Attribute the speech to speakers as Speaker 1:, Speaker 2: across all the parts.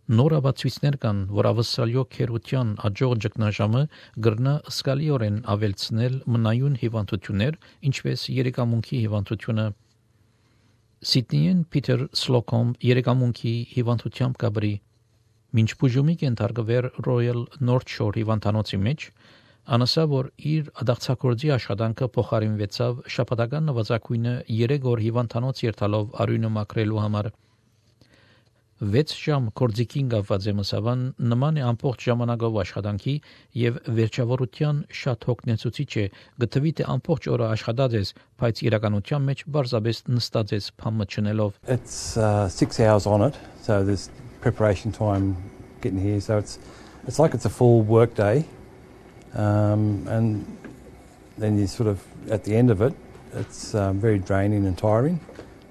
Speaker 1: Նոր ապացույցներ կան, որ ավստրալիո քերության աջող ճգնաժամը գրնա սկալիորեն ավելցնել մնայուն հիվանդություններ, ինչպես երեկամունքի հիվանդությունը։ Սիդնիեն Պիտեր Սլոկոմ երեկամունքի հիվանդությամբ կաբրի։ Մինչ բուժումի կենթարկվեր Royal North Shore հիվանդանոցի մեջ, անասա որ իր ադաղցակորձի աշխատանքը փոխարինվեցավ շաբաթական նվազագույնը 3 օր հիվանդանոց երթալով արյունը մաքրելու համար։ 6 ժամ կորձիկին կապված մսավան նման է ամբողջ ժամանակով աշխատանքի եւ վերջավորության շատ հոգնեցուցիչ է գտվի թե ամբողջ օրը աշխատած ես, բայց իրականության մեջ բարձրապես նստած ես փամը չնելով։
Speaker 2: It's 6 hours on it, so there's preparation time getting here, so it's like it's a full work day, and then you sort of at the end of it, it's very draining and tiring,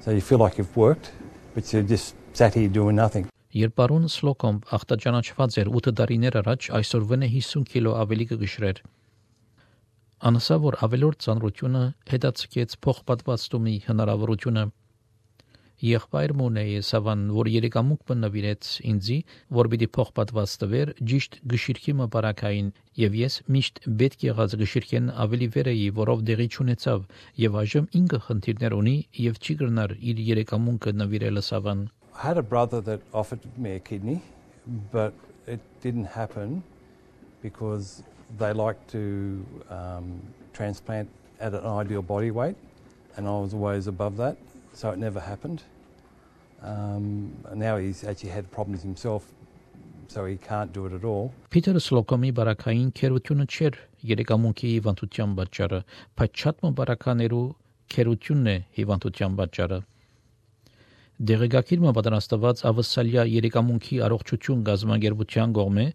Speaker 2: so you feel like you've worked, but you just sat here doing nothing.
Speaker 1: Երբ պարոն Սլոկոմ ախտաճանաչված էր 8 տարիներ առաջ, այսօր վնե 50 կիլո ավելի կգշրեր։ Անասա որ ավելորդ ծանրությունը հետաձգեց փոխպատվաստումի հնարավորությունը։ Եղբայր Մոնեի սավան, որ երեկամուկ բնավիրեց ինձի, որ պիտի փոխպատվաստվեր ճիշտ գշիրքի մբարակային, եւ ես միշտ պետք եղած գշիրքեն ավելի վեր էի, որով դեղի չունեցավ, եւ այժմ ինքը խնդիրներ ունի եւ չի գրնար իր երեկամունքը նվիրելը սավան։
Speaker 2: I had a brother that offered me a kidney, but it didn't happen because they like to transplant at an ideal body weight, and I was always above that, so it never happened. Now he's actually had problems himself, so he can't do it at all.
Speaker 1: Պիտեր Սլոկոմի բարակային քերությունը չէր երեկամունքի հիվանդության պատճառը, բայց շատ մբարականերու քերությունն է հիվանդության պատճառը։ Դեղեկագիրը պատրաստված ավստրալիա երեկամունքի առողջություն գազագերբության կողմէ,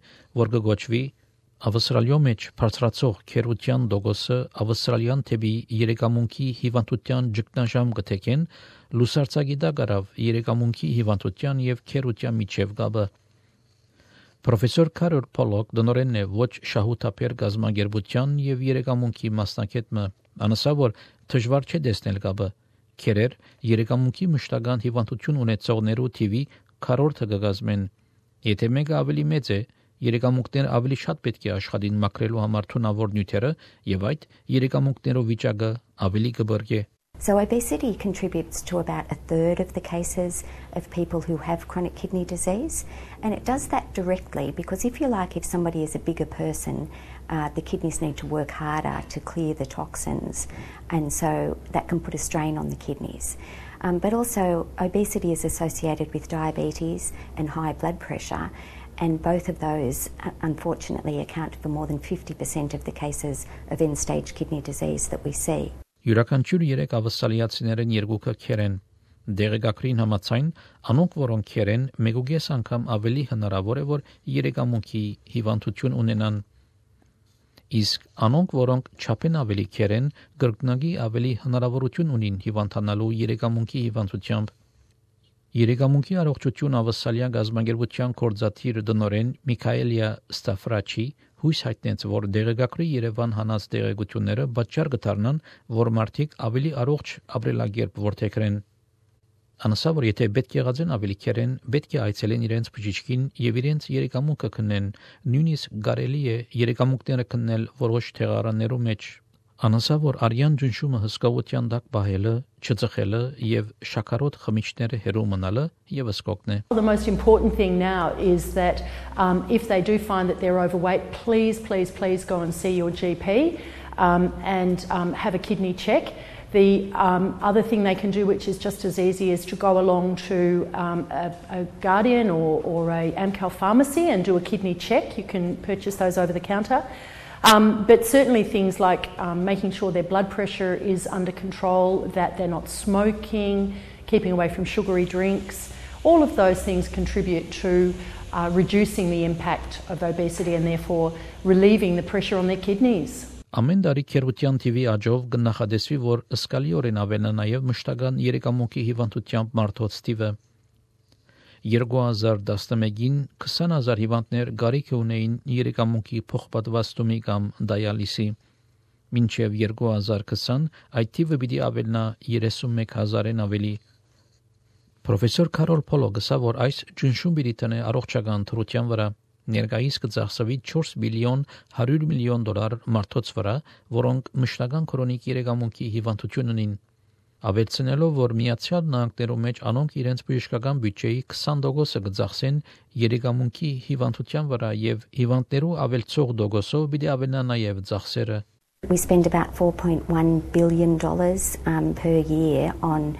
Speaker 1: որ կգոչվի Ավստրալիո մեջ բարձրացող քերության դոգոսը ավստրալիան թեպի երեկամունքի հիվանդության ճգնաժամ կթեքեն, լուսարձագիտա գարավ երեկամունքի հիվանդության եւ քերության միջև կապը։ Պրոֆեսոր Կարոլ Պոլոկ դնորենն է ոչ շահութապեր գազագերբության եւ երեկամունքի մասնակետը, անասա որ դժվար չէ տեսնել կապը։ Քերեր երեկամունքի մշտական հիվանդություն ունեցողներու թիվի քառորդը կգազմեն։ Եթե մեկը ավելի մեծ է, երեկամունքներ ավելի շատ պետք է աշխատին մաքրելու համար թունավոր նյութերը եւ այդ երեկամունքներով վիճակը ավելի կբրգե։
Speaker 3: So obesity contributes to about a third of the cases of people who have chronic kidney disease, and it does that directly because if somebody is a bigger person, the kidneys need to work harder to clear the toxins, and so that can put a strain on the kidneys. But also obesity is associated with diabetes and high blood pressure, and both of those unfortunately account for more than 50% of the cases of end-stage kidney disease that we see.
Speaker 1: Յուրաքանչյուր 3 ավստրալիացիներեն 2-ը քերեն։ Դեղեկագրին համաձայն, անոնք որոնք քերեն, մեգուգես անգամ ավելի հնարավոր է որ երեկամունքի հիվանդություն ունենան։ Իսկ անոնք որոնք չափեն ավելի քերեն, գրգնագի ավելի հնարավորություն ունին հիվանդանալու երեկամունքի հիվանդությամբ։ Երեկամունքի առողջություն ավստրալիա գազագերբության կորզաթիր դնորեն Միքայելիա Ստաֆրաչի հույս հայտնեց, որ դեղեկագրի Երևան հանած դեղեցությունները պատճառ կդառնան, որ մարդիկ ավելի առողջ ապրելակերպ որդեգրեն։ Անասա որ եթե պետք եղած են ավելի քերեն, պետք է այցելեն իրենց բժիշկին եւ իրենց երեկամունքը քննեն, նույնիսկ կարելի է երեկամունքները քննել որոշ թեղարաններու մեջ։ Անասա որ արյան ջնշումը հսկողության տակ բահելը, չծխելը եւ շաքարոտ խմիչքները հերու մնալը եւս կօգնի։
Speaker 4: The most important thing now is that if they do find that they're overweight, please go and see your GP and have a kidney check. The other thing they can do, which is just as easy, is to go along to a Guardian or a Amcal pharmacy and do a kidney check. You can purchase those over the counter. But certainly things like making sure their blood pressure is under control, that they're not smoking, keeping away from sugary drinks, all of those things contribute to reducing the impact of obesity and therefore relieving the pressure on their kidneys.
Speaker 1: Ամեն տարի քերության TV աջով կնախադեсվի, որ սկալիորեն ավելանա նաև մշտական երեկամունքի հիվանդությամբ մարդոց թիվը։ 2011-ին 20,000 հիվանդներ գարիք ունեին երեկամունքի փոխպատվաստումի կամ դայալիսի։ Մինչև 2020 այդ թիվը պիտի ավելնա 31,000-ին ավելի։ Պրոֆեսոր Կարոլ Պոլոգսը, որ այս ջնշում բիլիթն է առողջական թրության վրա ներկայիս կծախսվի 4 բիլիոն 100 միլիոն դոլար մարդոց վրա, որոնք մշտական քրոնիկ երեգամունքի հիվանդություն ունին։ Ավելցնելով, որ Միացյալ Նահանգներում մեջ անոնք իրենց բժշկական բյուջեի 20% կծախսեն երեգամունքի հիվանդության վրա եւ հիվանդներու ավելցող դոգոսով պիտի ավելնա նաեւ ծախսերը։
Speaker 3: We spend about $4.1 billion per year on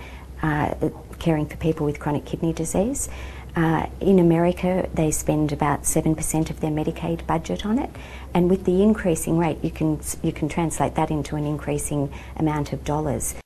Speaker 3: caring for people with chronic kidney disease. In America, they spend about 7% of their Medicaid budget on it, and with the increasing rate, you can translate that into an increasing amount of dollars.